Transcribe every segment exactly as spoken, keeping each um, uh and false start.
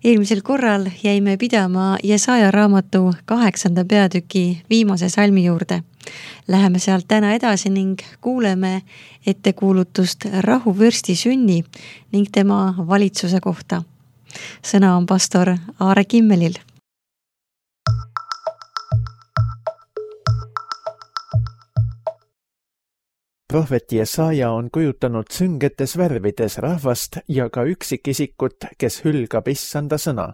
Eelmisel korral jäime pidama Jesaja raamatu kaheksanda peatüki viimase salmi juurde. Läheme sealt täna edasi ning kuuleme ettekuulutust rahuvürsti sünni ning tema valitsuse kohta. Sõna on pastor Aare Kimmelil. Prohvet Jesaja on kujutanud süngetes värvides rahvast ja ka üksikisikut, kes hülgab issanda sõna.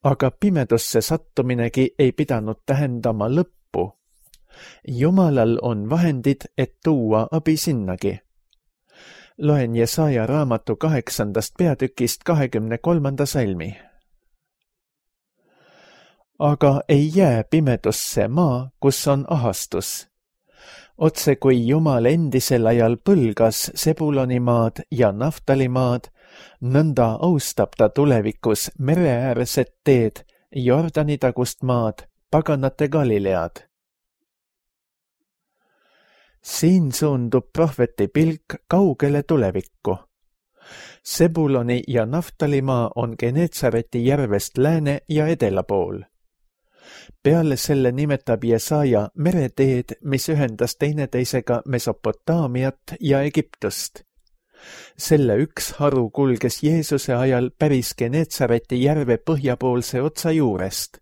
Aga pimedusse sattuminegi ei pidanud tähendama lõppu. Jumalal on vahendid, et tuua abi sinnagi. Loen Jesaja raamatu kaheksandast peatükist kahekümne kolmanda salmi. Aga ei jää pimedusse maa, kus on ahastus. Otse kui Jumal endisel ajal põlgas Sebuloni maad ja Naftali maad, nõnda austab ta tulevikus mereäärset teed, Jordani tagust maad, paganate Galilead. Siin suundub prohveti pilk kaugele tulevikku. Sebuloni ja Naftali maa on Genetsareti järvest lääne ja edela pool. Peale selle nimetab Jesaja mereteed, mis ühendas teineteisega Mesopotaamiat ja Egiptust. Selle üks haru kulges Jeesuse ajal päris Genetsareti järve põhjapoolse otsa juurest.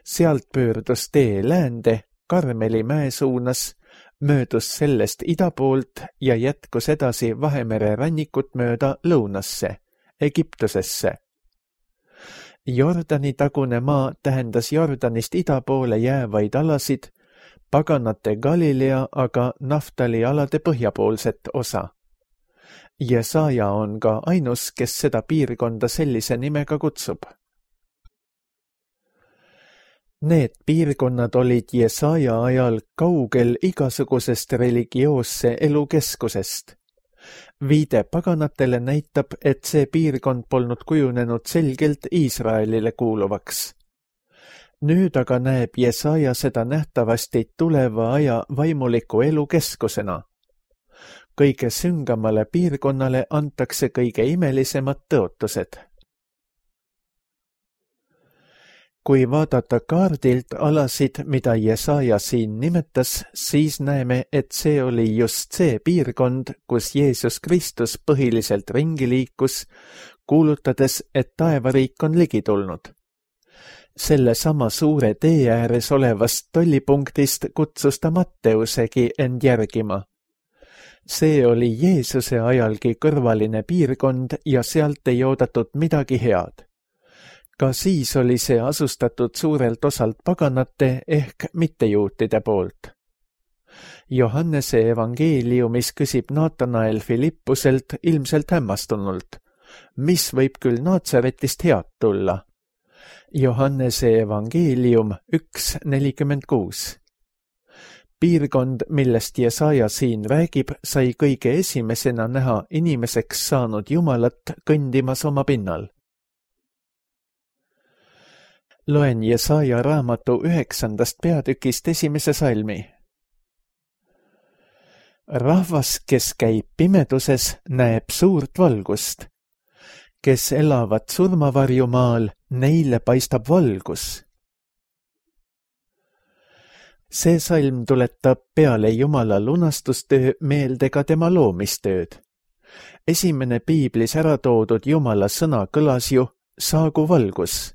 Sealt pöördus tee läände, Karmeli mäe suunas, möödus sellest ida poolt ja jätkus edasi Vahemere rannikut mööda lõunasse, Egiptusesse. Jordani tagune maa tähendas Jordanist ida poole jäävaid alasid, paganate Galilea aga Naftali alade põhjapoolset osa. Jesaja on ka ainus, kes seda piirkonda sellise nimega kutsub. Need piirkonnad olid Jesaja ajal kaugel igasugusest religioosse elukeskusest. Viide paganatele näitab, et see piirkond polnud kujunenud selgelt Iisraelile kuuluvaks. Nüüd aga näeb Jesaja seda nähtavasti tuleva aja vaimuliku elu keskusena. Kõige süngamale piirkonnale antakse kõige imelisemad tõotused. Kui vaadata kaardilt alasid, mida Jesaja siin nimetas, siis näeme, et see oli just see piirkond, kus Jeesus Kristus põhiliselt ringi liikus, kuulutades, et taevariik on ligi tulnud. Selle sama suure tee ääres olevast tollipunktist kutsus ta Matteusegi end järgima. See oli Jeesuse ajalgi kõrvaline piirkond ja sealt ei oodatud midagi head. Ka siis oli see asustatud suurelt osalt paganate ehk mittejuutide poolt. Johannese evangeeliumis küsib Naatanael Filippuselt ilmselt hämmastunult, mis võib küll Naatsaretist head tulla. Johannese evangeelium üks nelikümmend kuus. Piirkond, millest Jesaja siin räägib, sai kõige esimesena näha inimeseks saanud Jumalat kõndimas oma pinnal. Loen Jesaja raamatu üheksandast peatükist esimese salmi. Rahvas, kes käib pimeduses, näeb suurt valgust. Kes elavad surmavarjumaal, neile paistab valgus. See salm tuletab peale Jumala lunastustöö meelde ka tema loomistööd. Esimene piiblis ära toodud Jumala sõna kõlas ju, saagu valgus.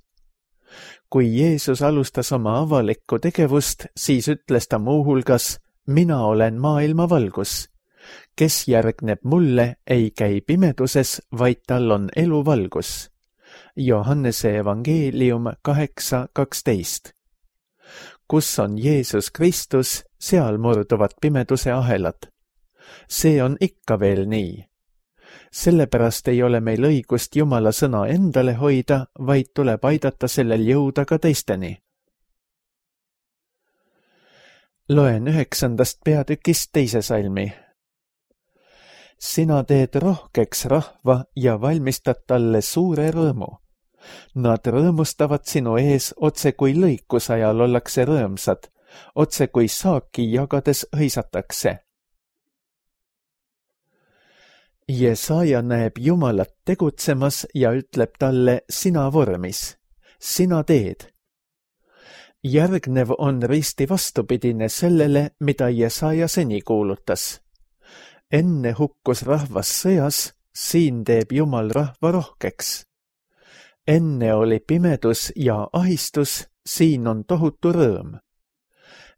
Kui Jeesus alustas oma avalikku tegevust, siis ütles ta muuhulgas, mina olen maailma valgus. Kes järgneb mulle, ei käi pimeduses, vaid tal on eluvalgus. Johannese evangeelium kaheksa kaksteist. Kus on Jeesus Kristus, seal murduvad pimeduse ahelad. See on ikka veel nii. Sellepärast ei ole meil õigust Jumala sõna endale hoida, vaid tuleb aidata sellel jõuda ka teisteni. Loen üheksandast peatükist teise salmi. Sina teed rohkeks rahva ja valmistad talle suure rõõmu. Nad rõõmustavad sinu ees otse kui lõikusajal ollakse rõõmsad, otse kui saaki jagades hõisatakse. Jesaja näeb Jumalat tegutsemas ja ütleb talle sina vormis, sina teed. Järgnev on risti vastupidine sellele, mida Jesaja seni kuulutas. Enne hukkus rahvas sõjas, siin teeb Jumal rahva rohkeks. Enne oli pimedus ja ahistus, siin on tohutu rõõm.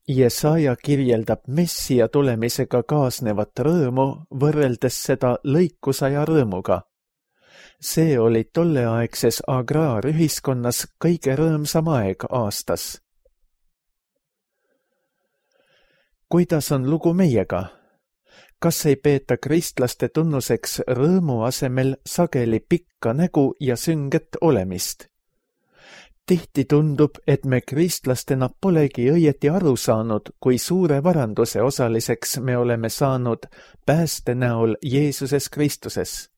Jesaja kirjeldab Messia tulemisega kaasnevat rõõmu, võrreldes seda lõikusaja rõõmuga. See oli tolleaegses agraarühiskonnas kõige rõõmsam aeg aastas. Kuidas on lugu meiega? Kas ei peeta kristlaste tunnuseks rõõmu asemel sageli pikka nägu ja sünget olemist? Tihti tundub, et me kristlastena polegi õieti aru saanud, kui suure varanduse osaliseks me oleme saanud pääste näol Jeesuses Kristuses.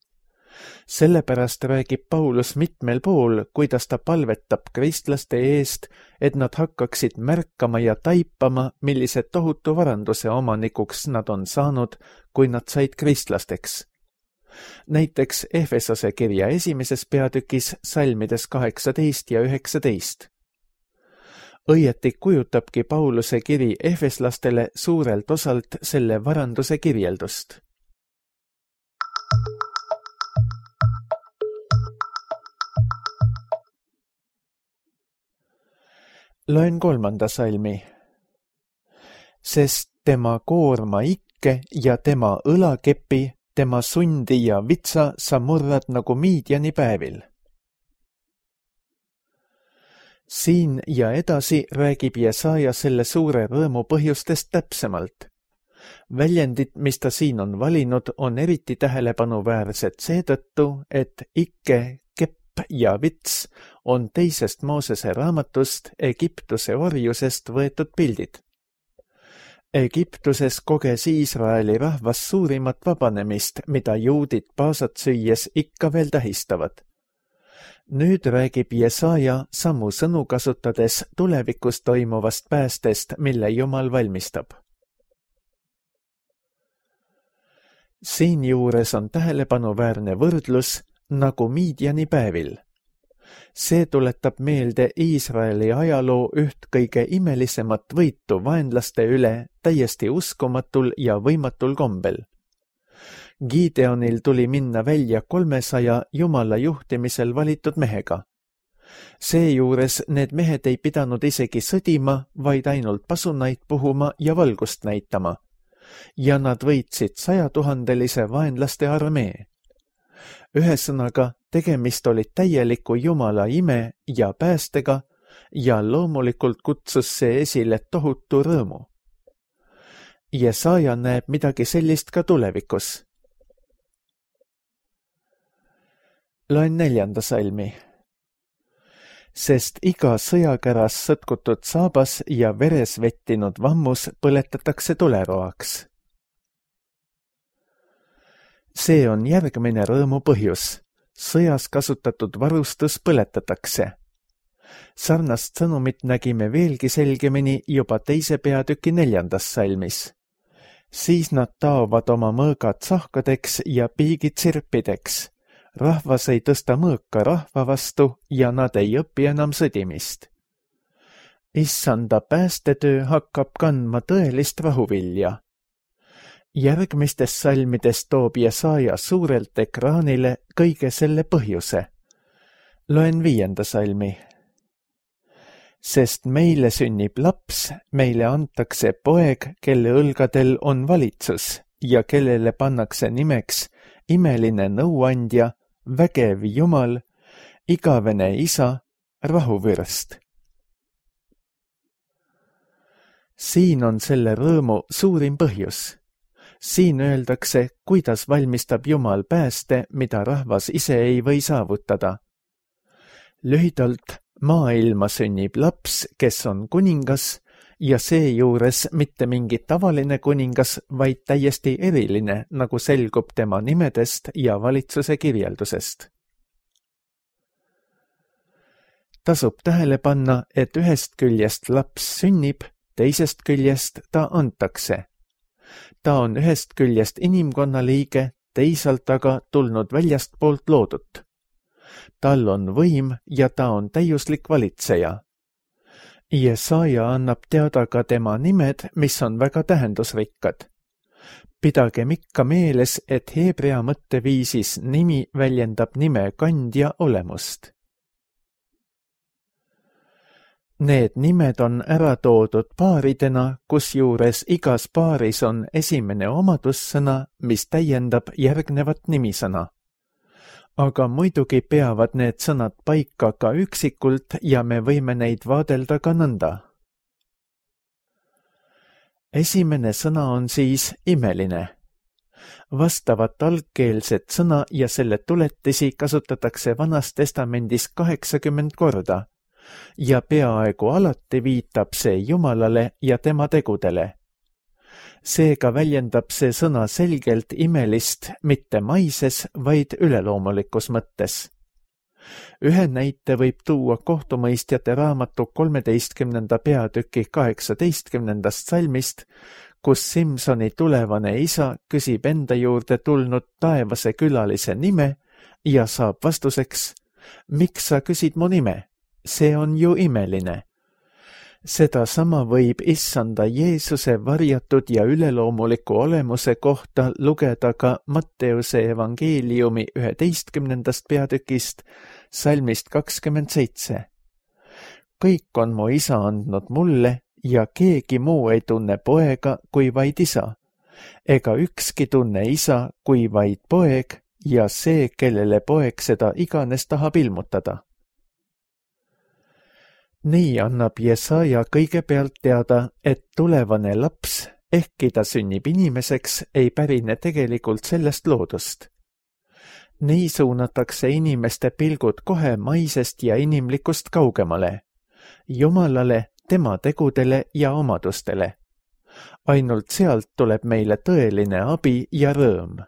Sellepärast räägib Paulus mitmel pool, kuidas ta palvetab kristlaste eest, et nad hakkaksid märkama ja taipama, millise tohutu varanduse omanikuks nad on saanud, kui nad said kristlasteks. Näiteks Efesose kirja esimeses peatükis salmides kaheksateist ja üheksateist. Õieti kujutabki Pauluse kiri efeslastele suurelt osalt selle varanduse kirjeldust. Loen kolmanda salmi. Sest tema koorma ikke ja tema õlakepi, tema sundi ja vitsa sa murrad nagu Miidjani päevil. Siin ja edasi räägib Jesaja selle suure rõõmu põhjustest täpsemalt. Väljendid, mis ta siin on valinud, on eriti tähelepanuväärsed seetõttu, et ikke, kepp ja vits on teisest Moosese raamatust Egiptuse orjusest võetud pildid. Egiptuses koges Iisraeli rahvas suurimat vabanemist, mida juudid paasat süües ikka veel tähistavad. Nüüd räägib Jesaja samu sõnu kasutades tulevikus toimuvast päästest, mille Jumal valmistab. Siinjuures on tähelepanuväärne võrdlus nagu Miidjani päevil. See tuletab meelde Iisraeli ajaloo üht kõige imelisemat võitu vaenlaste üle täiesti uskumatul ja võimatul kombel. Gideonil tuli minna välja kolmesaja Jumala juhtimisel valitud mehega. Seejuures need mehed ei pidanud isegi sõdima, vaid ainult pasunaid puhuma ja valgust näitama. Ja nad võitsid sajatuhandelise vaenlaste armee. Ühesõnaga, tegemist oli täieliku Jumala ime ja päästega ja loomulikult kutsus see esile tohutu rõõmu. Jesaja näeb midagi sellist ka tulevikus. Loen neljanda salmi. Sest iga sõjakäras sõtkutud saabas ja veres vettinud vammus põletatakse tuleroaks. See on järgmine rõõmu põhjus. Sõjas kasutatud varustus põletatakse. Sarnast sõnumit nägime veelgi selgemini juba teise peatüki neljandas salmis. Siis nad taovad oma mõõgad sahkadeks ja piigid sirpideks. Rahvas ei tõsta mõõka rahva vastu ja nad ei õpi enam sõdimist. Issanda päästetöö hakkab kandma tõelist rahuvilja. Järgmistes salmides toob Jesaja suurelt ekraanile kõige selle põhjuse. Loen viienda salmi. Sest meile sünnib laps, meile antakse poeg, kelle õlgadel on valitsus ja kellele pannakse nimeks imeline nõuandja, vägev Jumal, igavene isa, rahuvürst. Siin on selle rõõmu suurim põhjus. Siin öeldakse, kuidas valmistab Jumal pääste, mida rahvas ise ei või saavutada. Lühidalt, maailma sünnib laps, kes on kuningas ja seejuures mitte mingi tavaline kuningas, vaid täiesti eriline, nagu selgub tema nimedest ja valitsuse kirjeldusest. Tasub tähele panna, et ühest küljest laps sünnib, teisest küljest ta antakse. Ta on ühest küljest inimkonna liige, teisalt aga tulnud väljastpoolt loodut. Tal on võim ja ta on täiuslik valitseja. Jesaja annab teada ka tema nimed, mis on väga tähendusrikkad. Pidagem ikka meeles, et heebrea mõtteviisis nimi väljendab nime kandja olemust. Need nimed on ära toodud paaridena, kusjuures igas paaris on esimene omadussõna, mis täiendab järgnevat nimisõna. Aga muidugi peavad need sõnad paika ka üksikult ja me võime neid vaadelda ka nõnda. Esimene sõna on siis imeline. Vastavat algkeelset sõna ja selle tuletisi kasutatakse Vanas Testamendis kaheksakümmend korda ja peaaegu alati viitab see Jumalale ja tema tegudele. Seega väljendab see sõna selgelt imelist mitte maises, vaid üleloomulikus mõttes. Ühe näite võib tuua kohtumõistjate raamatu kolmeteistkümnenda peatüki kaheksateistkümnendast salmist, kus Simsoni tulevane isa küsib enda juurde tulnud taevase külalise nime ja saab vastuseks, miks sa küsid mu nime? See on ju imeline. Seda sama võib issanda Jeesuse varjatud ja üleloomuliku olemuse kohta lugeda ka Matteuse evangeeliumi üheteistkümnendast peatükist, salmist kakskümmend seitse. Kõik on mu isa andnud mulle ja keegi muu ei tunne poega kui vaid isa, ega ükski tunne isa kui vaid poeg ja see, kellele poeg seda iganes tahab ilmutada. Nii annab Jesaja kõigepealt teada, et tulevane laps, ehkki ta sünnib inimeseks, ei pärine tegelikult sellest loodust. Nii suunatakse inimeste pilgud kohe maisest ja inimlikust kaugemale, Jumalale, tema tegudele ja omadustele. Ainult sealt tuleb meile tõeline abi ja rõõm.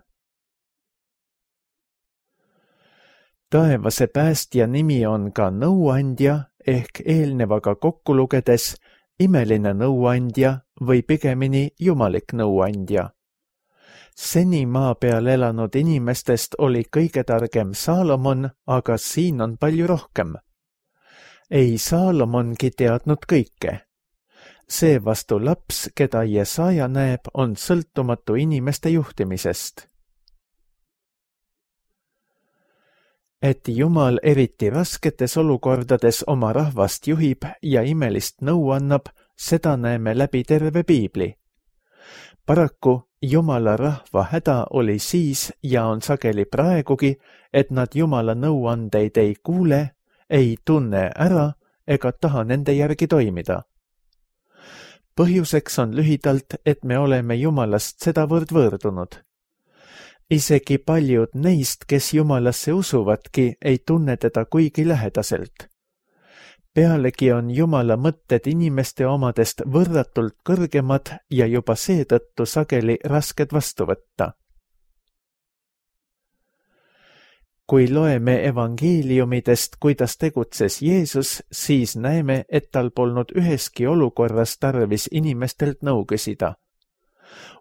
Taevase päästja nimi on ka nõuandja, ehk eelnevaga kokku lugedes imeline nõuandja või pigemini jumalik nõuandja. Seni maa peal elanud inimestest oli kõige targem Saalomon, aga siin on palju rohkem. Ei Saalomongi teadnud kõike. Seevastu laps, keda Jesaja näeb, on sõltumatu inimeste juhtimisest. Et Jumal eriti rasketes olukordades oma rahvast juhib ja imelist nõu annab, seda näeme läbi terve piibli. Paraku Jumala rahva häda oli siis ja on sageli praegugi, et nad Jumala nõuandeid ei kuule, ei tunne ära ega taha nende järgi toimida. Põhjuseks on lühidalt, et me oleme Jumalast sedavõrd võõrdunud. Isegi paljud neist, kes Jumalasse usuvadki, ei tunne teda kuigi lähedaselt. Pealegi on Jumala mõtted inimeste omadest võrratult kõrgemad ja juba seetõttu sageli rasked vastu võtta. Kui loeme evangeeliumidest, kuidas tegutses Jeesus, siis näeme, et tal polnud üheski olukorras tarvis inimestelt nõu küsida.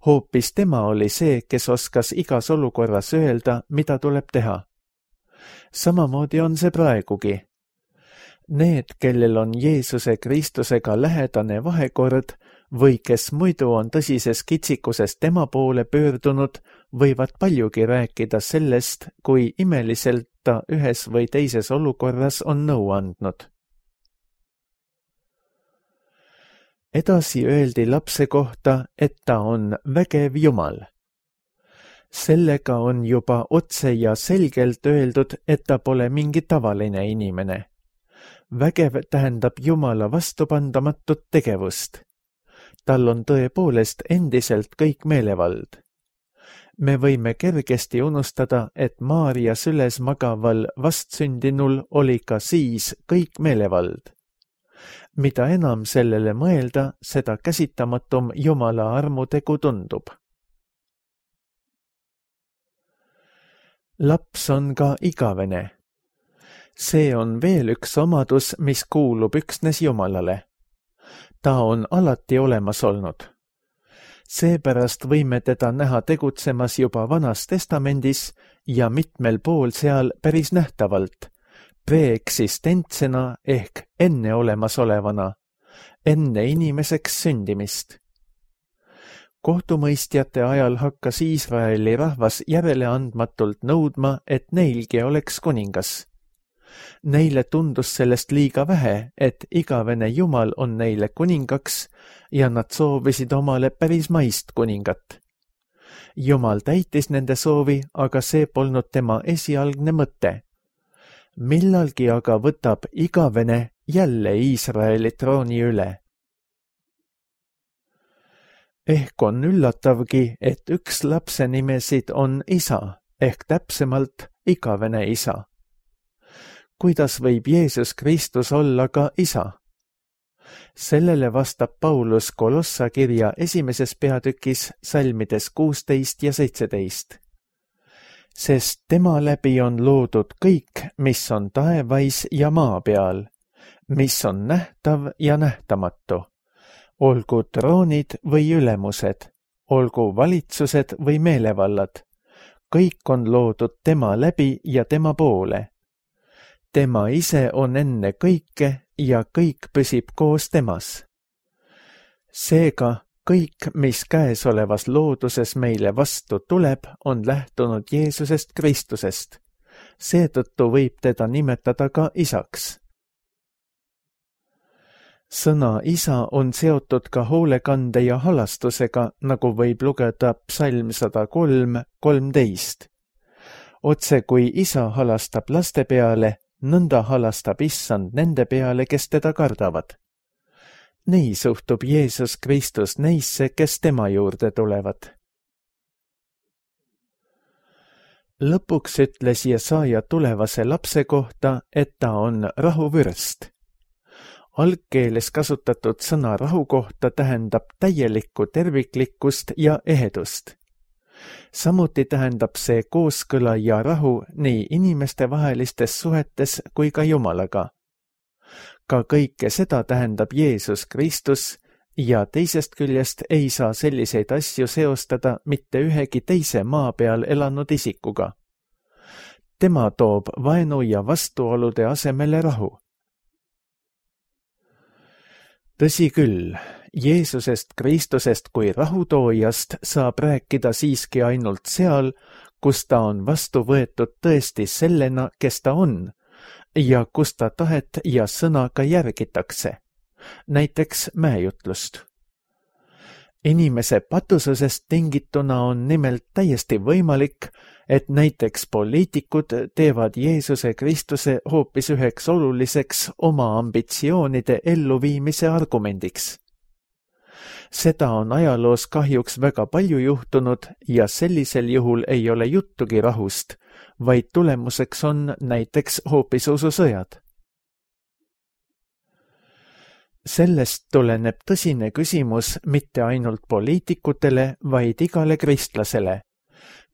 Hoopis tema oli see, kes oskas igas olukorras öelda, mida tuleb teha. Samamoodi on see praegugi. Need, kellel on Jeesuse Kristusega lähedane vahekord või kes muidu on tõsises kitsikuses tema poole pöördunud, võivad paljugi rääkida sellest, kui imeliselt ta ühes või teises olukorras on nõu andnud. Edasi öeldi lapse kohta, et ta on vägev Jumal. Sellega on juba otse ja selgelt öeldud, et ta pole mingi tavaline inimene. Vägev tähendab Jumala vastupandamatut tegevust. Tal on tõepoolest endiselt kõik meelevald. Me võime kergesti unustada, et Maarja süles magaval vastsündinul oli ka siis kõik meelevald. Mida enam sellele mõelda, seda käsitamatum Jumala armutegu tundub. Laps on ka igavene. See on veel üks omadus, mis kuulub üksnes Jumalale. Ta on alati olemas olnud. Seepärast võime teda näha tegutsemas juba Vanas Testamendis ja mitmel pool seal päris nähtavalt, preeksistentsena ehk enneolemasolevana, enne inimeseks sündimist. Kohtumõistjate ajal hakkas Iisraeli rahvas järeleandmatult nõudma, et neilgi oleks kuningas. Neile tundus sellest liiga vähe, et igavene Jumal on neile kuningaks ja nad soovisid omale päris maist kuningat. Jumal täitis nende soovi, aga see polnud tema esialgne mõte. Millalgi aga võtab igavene jälle Iisraeli trooni üle. Ehk on üllatavgi, et üks lapse nimesid on isa, ehk täpsemalt igavene isa. Kuidas võib Jeesus Kristus olla ka isa? Sellele vastab Paulus Kolossa kirja esimeses peatükis salmides kuusteist ja seitseteist. Sest tema läbi on loodud kõik, mis on taevais ja maa peal, mis on nähtav ja nähtamatu, olgu troonid või ülemused, olgu valitsused või meelevallad, kõik on loodud tema läbi ja tema poole. Tema ise on enne kõike ja kõik püsib koos temas. Seega kõik, mis käesolevas looduses meile vastu tuleb, on lähtunud Jeesusest Kristusest. Seetõttu võib teda nimetada ka isaks. Sõna isa on seotud ka hoolekande ja halastusega, nagu võib lugeda psalm sada kolm kolmteist. Otse kui isa halastab laste peale, nõnda halastab issand nende peale, kes teda kardavad. Nii suhtub Jeesus Kristus neisse, kes tema juurde tulevad. Lõpuks ütles Jesaja tulevase lapse kohta, et ta on rahuvürst. Algkeeles kasutatud sõna rahu kohta tähendab täielikku terviklikkust ja ehedust. Samuti tähendab see kooskõla ja rahu nii inimeste vahelistes suhetes kui ka Jumalaga. Ka kõike seda tähendab Jeesus Kristus ja teisest küljest ei saa selliseid asju seostada mitte ühegi teise maa peal elanud isikuga. Tema toob vaenu ja vastuolude asemele rahu. Tõsi küll, Jeesusest Kristusest kui rahutoojast saab rääkida siiski ainult seal, kus ta on vastu võetud tõesti sellena, kes ta on, ja kus ta tahet ja sõna ka järgitakse, näiteks mäejutlust. Inimese patususest tingituna on nimelt täiesti võimalik, et näiteks poliitikud teevad Jeesuse Kristuse hoopis üheks oluliseks oma ambitsioonide elluviimise argumendiks. Seda on ajaloos kahjuks väga palju juhtunud ja sellisel juhul ei ole juttugi rahust, vaid tulemuseks on näiteks hoopis ususõjad. Sellest tuleneb tõsine küsimus mitte ainult poliitikutele, vaid igale kristlasele.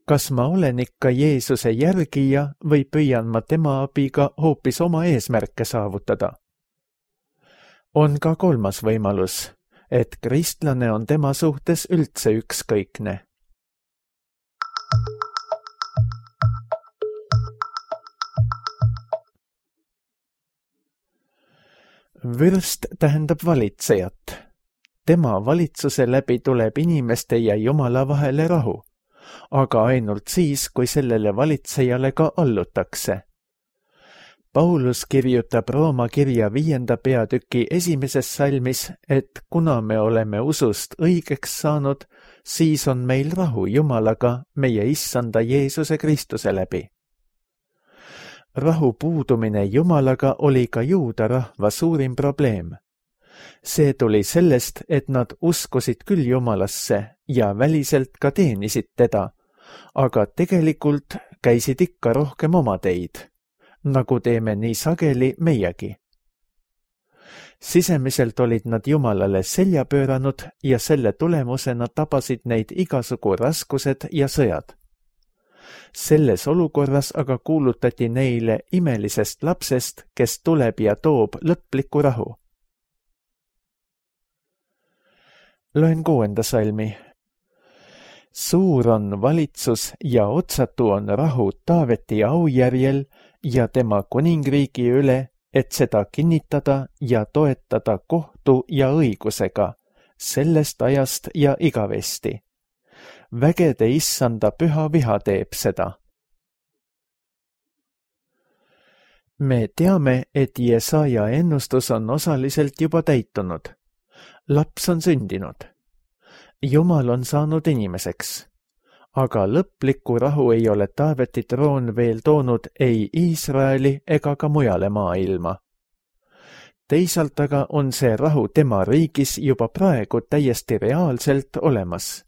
Kas ma olen ikka Jeesuse järgija või püüan ma tema abiga hoopis oma eesmärke saavutada? On ka kolmas võimalus, et kristlane on tema suhtes üldse ükskõikne. Vürst tähendab valitsejat. Tema valitsuse läbi tuleb inimeste ja Jumala vahele rahu, aga ainult siis, kui sellele valitsejale ka allutakse. Paulus kirjutab Rooma kirja viienda peatüki esimeses salmis, et kuna me oleme usust õigeks saanud, siis on meil rahu Jumalaga meie issanda Jeesuse Kristuse läbi. Rahu puudumine Jumalaga oli ka juuda rahva suurim probleem. See tuli sellest, et nad uskusid küll Jumalasse ja väliselt ka teenisid teda, aga tegelikult käisid ikka rohkem oma teid, nagu teeme nii sageli meiegi. Sisemiselt olid nad Jumalale selja pööranud ja selle tulemusena tabasid neid igasugu raskused ja sõjad. Selles olukorras aga kuulutati neile imelisest lapsest, kes tuleb ja toob lõpliku rahu. Loen kuuenda salmi. Suur on valitsus ja otsatu on rahu Taaveti aujärjel ja tema kuningriigi üle, et seda kinnitada ja toetada kohtu ja õigusega, sellest ajast ja igavesti. Vägede issanda püha viha teeb seda. Me teame, et Jesaja ennustus on osaliselt juba täitunud. Laps on sündinud. Jumal on saanud inimeseks. Aga lõplikku rahu ei ole Taaveti troon veel toonud ei Iisraeli ega ka mujale maailma. Teisalt aga on see rahu tema riigis juba praegu täiesti reaalselt olemas.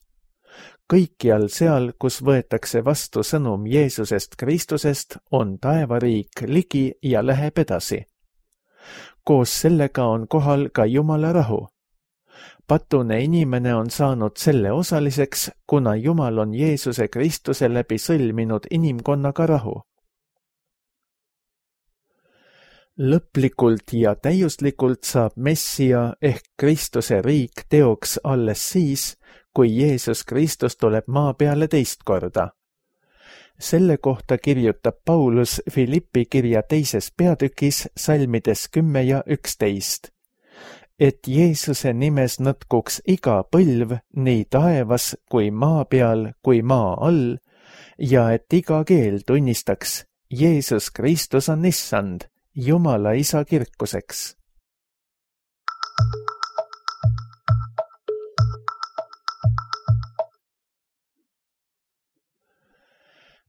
Kõikjal seal, kus võetakse vastu sõnum Jeesusest Kristusest, on taevariik ligi ja läheb edasi. Koos sellega on kohal ka Jumala rahu. Patune inimene on saanud selle osaliseks, kuna Jumal on Jeesuse Kristuse läbi sõlminud inimkonnaga rahu. Lõplikult ja täiuslikult saab Messia ehk Kristuse riik teoks alles siis, kui Jeesus Kristus tuleb maa peale teist korda. Selle kohta kirjutab Paulus Filippi kirja teises peatükis salmides kümme ja üksteist. Et Jeesuse nimes nõtkuks iga põlv nii taevas kui maa peal kui maa all ja et iga keel tunnistaks, Jeesus Kristus on issand, Jumala isa kirkuseks.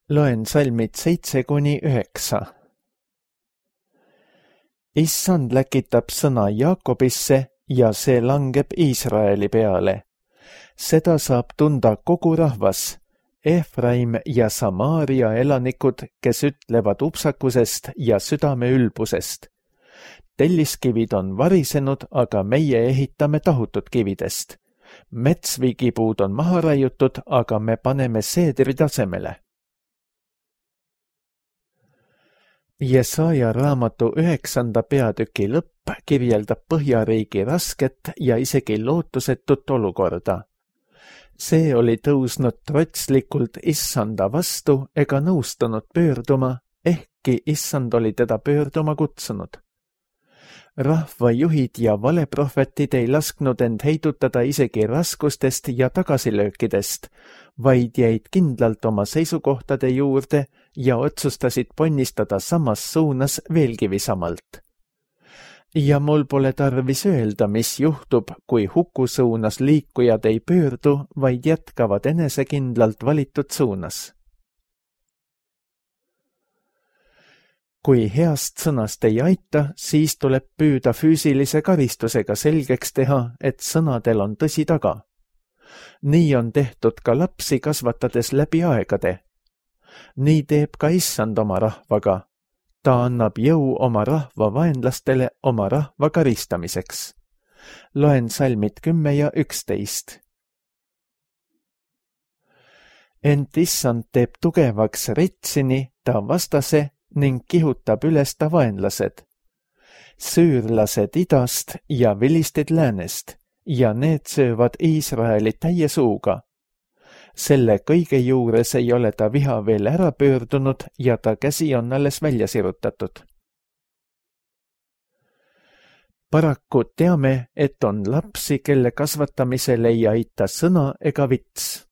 Loen salmid seitse kuni üheksa. Issand läkitab sõna Jaakobisse ja see langeb Iisraeli peale. Seda saab tunda kogu rahvas, Efraim ja Samaaria elanikud, kes ütlevad upsakusest ja südame ülbusest. Telliskivid on varisenud, aga meie ehitame tahutud kividest. Metsvigipuud on maha raiutud, aga me paneme seedri tasemele. Jesaja raamatu üheksanda peatüki lõpp kirjeldab Põhjariigi rasket ja isegi lootusetut olukorda. See oli tõusnud trotslikult issanda vastu ega nõustunud pöörduma, ehkki issand oli teda pöörduma kutsunud. Rahvajuhid ja valeprohvetid ei lasknud end heidutada isegi raskustest ja tagasilöökidest, vaid jäid kindlalt oma seisukohtade juurde ja otsustasid ponnistada samas suunas veelgi visamalt. Ja mul pole tarvis öelda, mis juhtub, kui huku suunas liikujad ei pöördu, vaid jätkavad enesekindlalt valitud suunas. Kui heast sõnast ei aita, siis tuleb püüda füüsilise karistusega selgeks teha, et sõnadel on tõsi taga. Nii on tehtud ka lapsi kasvatades läbi aegade. Nii teeb ka issand oma rahvaga. Ta annab jõu oma rahva vaenlastele oma rahva karistamiseks. Loen salmid kümme ja üksteist. Ent issand teeb tugevaks Retsini, ta vastase, ning kihutab üles ta vaenlased. Süürlased idast ja vilistid läänest, ja need söövad Iisraeli täie suuga. Selle kõige juures ei ole ta viha veel ära pöördunud ja ta käsi on alles välja sirutatud. Paraku teame, et on lapsi, kelle kasvatamisel ei aita sõna ega vits.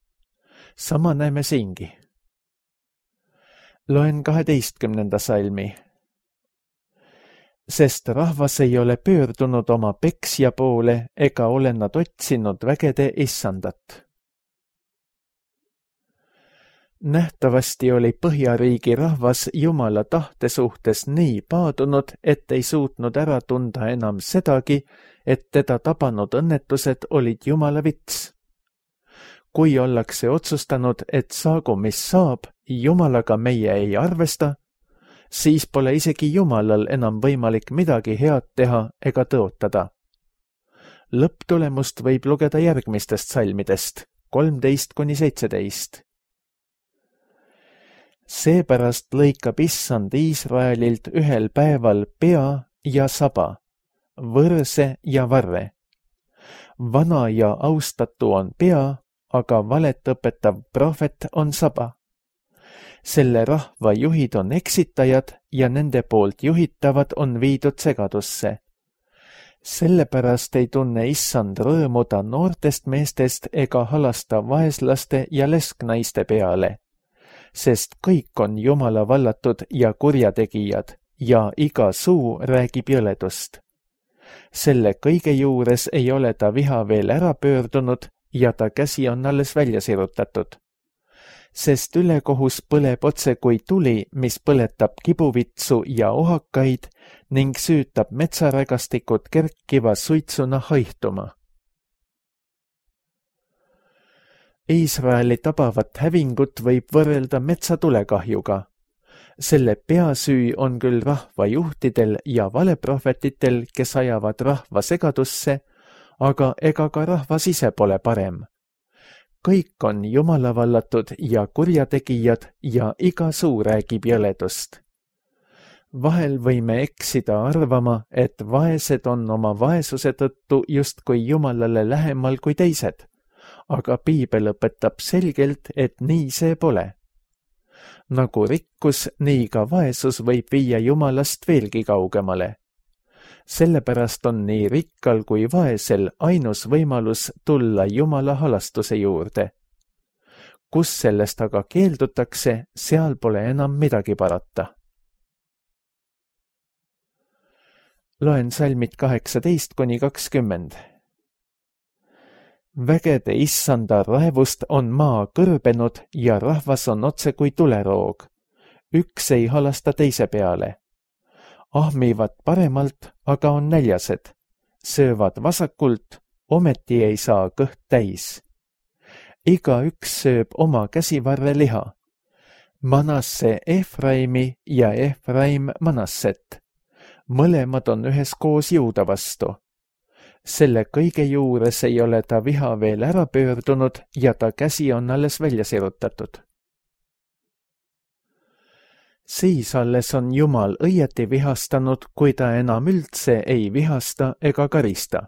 Sama näeme siingi. Loen kaheteistkümnenda salmi. Sest rahvas ei ole pöördunud oma peksja poole ega ole nad otsinud vägede issandat. Nähtavasti oli Põhjariigi rahvas Jumala tahte suhtes nii paadunud, et ei suutnud ära tunda enam sedagi, et teda tabanud õnnetused olid Jumala vits. Kui ollakse otsustanud, et saagu mis saab, Jumalaga meie ei arvesta, siis pole isegi Jumalal enam võimalik midagi head teha ega tõotada. Lõpptulemust võib lugeda järgmistest salmidest, kolmteist kuni seitseteist. Seepärast lõikab issand Iisraelilt ühel päeval pea ja saba, võrse ja varre. Vana ja austatu on pea, aga valet õpetav prohvet on saba. Selle rahva juhid on eksitajad ja nende poolt juhitavad on viidud segadusse. Sellepärast ei tunne issand rõõmuda noortest meestest ega halasta vaeslaste ja lesknaiste peale, sest kõik on Jumala vallatud ja kurjategijad ja iga suu räägib jõledust. Selle kõige juures ei ole ta viha veel ära pöördunud ja ta käsi on alles välja sirutatud. Sest ülekohus põleb otse kui tuli, mis põletab kibuvitsu ja ohakaid ning süütab metsarägastikud kerkiva suitsuna haihtuma. Iisraeli tabavat hävingut võib võrrelda metsatulekahjuga. Selle peasüü on küll rahva juhtidel ja valeprohvetitel, kes ajavad rahva segadusse, aga ega ka rahvas ise pole parem. Kõik on Jumala vallatud ja kurjategijad ja iga suu räägib jõledust. Vahel võime eksida arvama, et vaesed on oma vaesuse tõttu justkui Jumalale lähemal kui teised, aga piibel õpetab selgelt, et nii see pole. Nagu rikkus, nii ka vaesus võib viia Jumalast veelgi kaugemale. Sellepärast on nii rikkal kui vaesel ainus võimalus tulla Jumala halastuse juurde. Kus sellest aga keeldutakse, seal pole enam midagi parata. Loen salmid kaheksateist kuni kakskümmend. Vägede issanda raevust on maa kõrbenud ja rahvas on otse kui tuleroog. Üks ei halasta teise peale. Ahmivad paremalt, aga on näljased. Söövad vasakult, ometi ei saa kõht täis. Iga üks sööb oma käsivarre liha. Manasse Efraimi ja Efraim Manasset. Mõlemad on üheskoos Juuda vastu. Selle kõige juures ei ole ta viha veel ära pöördunud ja ta käsi on alles välja sirutatud. Siis alles on Jumal õieti vihastanud, kui ta enam üldse ei vihasta ega karista.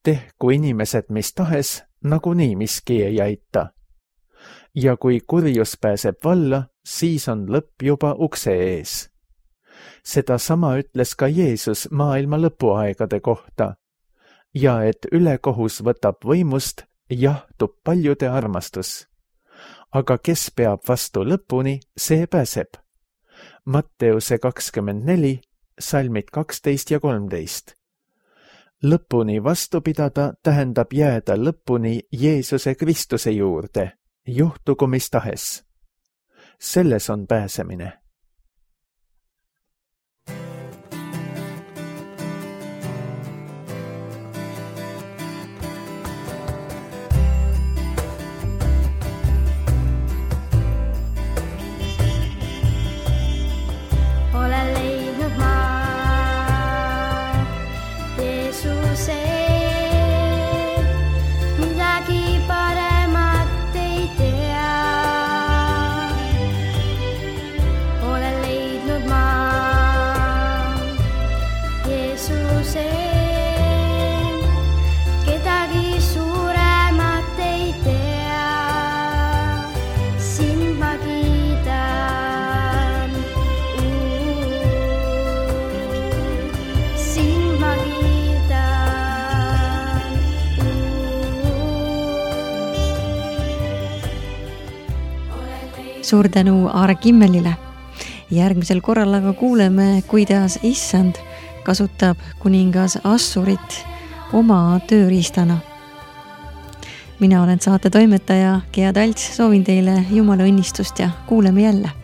Tehku inimesed mis tahes, nagunii miski ei aita. Ja kui kurjus pääseb valla, siis on lõpp juba ukse ees. Seda sama ütles ka Jeesus maailma lõpuaegade kohta. Ja et ülekohus võtab võimust, jahtub paljude armastus. Aga kes peab vastu lõpuni, see pääseb. Matteuse kakskümmend neli, salmid kaksteist ja kolmteist. Lõpuni vastu pidada tähendab jääda lõpuni Jeesuse Kristuse juurde, juhtugu mis tahes. Selles on pääsemine. Suur tänu Aare Kimmelile. Järgmisel korral aga kuuleme, kuidas issand kasutab kuningas Assurit oma tööriistana. Mina olen saate toimetaja Gea Talts, soovin teile Jumala õnnistust ja kuuleme jälle.